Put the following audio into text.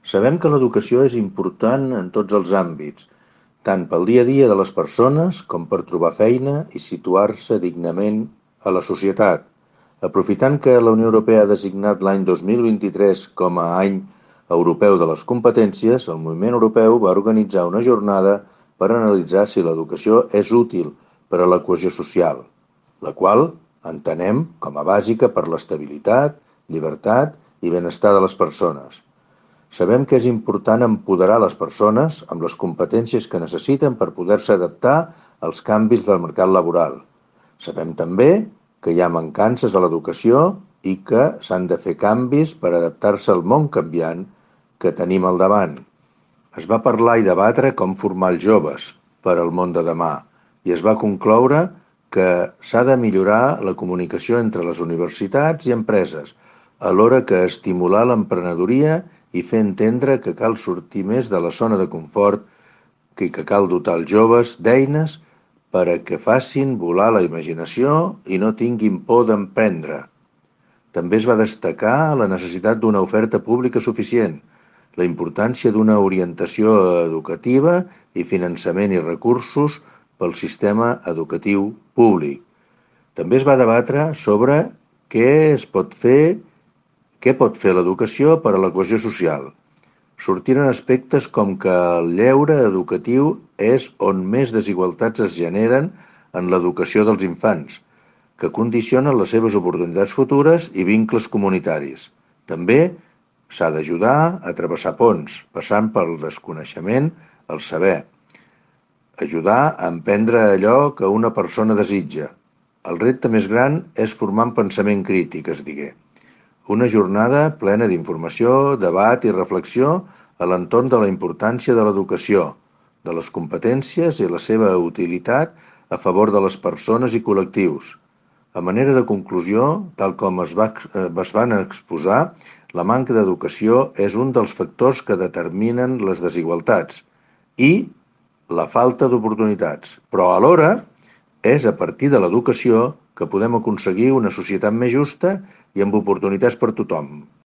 Sabem que l'educació és important en tots els àmbits, tant pel dia a dia de les persones com per trobar feina i situar-se dignament a la societat. Aprofitant que la Unió Europea ha designat l'any 2023 com a Any Europeu de les Competències, el moviment europeu va organitzar una jornada per analitzar si l'educació és útil per a la cohesió social, la qual entenem com a bàsica per l'estabilitat, llibertat i benestar de les persones. Sabem que és important empoderar les persones amb les competències que necessiten per poder-se adaptar als canvis del mercat laboral. Sabem també que hi ha mancances a l'educació i que s'han de fer canvis per adaptar-se al món canviant que tenim al davant. Es va parlar i debatre com formar els joves per al món de demà i es va concloure que s'ha de millorar la comunicació entre les universitats i empreses, alhora que estimular l'emprenedoria i fer entendre que cal sortir més de la zona de confort i que cal dotar els joves d'eines per a que facin volar la imaginació i no tinguin por d'emprendre. També es va destacar la necessitat d'una oferta pública suficient, la importància d'una orientació educativa i finançament i recursos pel sistema educatiu públic. També es va debatre sobre què pot fer l'educació per a la cohesió social. Sortiren aspectes com que el lleure educatiu és on més desigualtats es generen en l'educació dels infants, que condicionen les seves oportunitats futures i vincles comunitaris. També s'ha d'ajudar a travessar ponts, passant pel desconeixement al saber. Ajudar a emprendre allò que una persona desitja. El repte més gran és formar en pensament crític, es digué. Una jornada plena d'informació, debat i reflexió a l'entorn de la importància de l'educació, de les competències i la seva utilitat a favor de les persones i col·lectius. A manera de conclusió, tal com es van exposar, la manca d'educació és un dels factors que determinen les desigualtats i la falta d'oportunitats, però alhora és a partir de l'educació que podem aconseguir una societat més justa i amb oportunitats per tothom.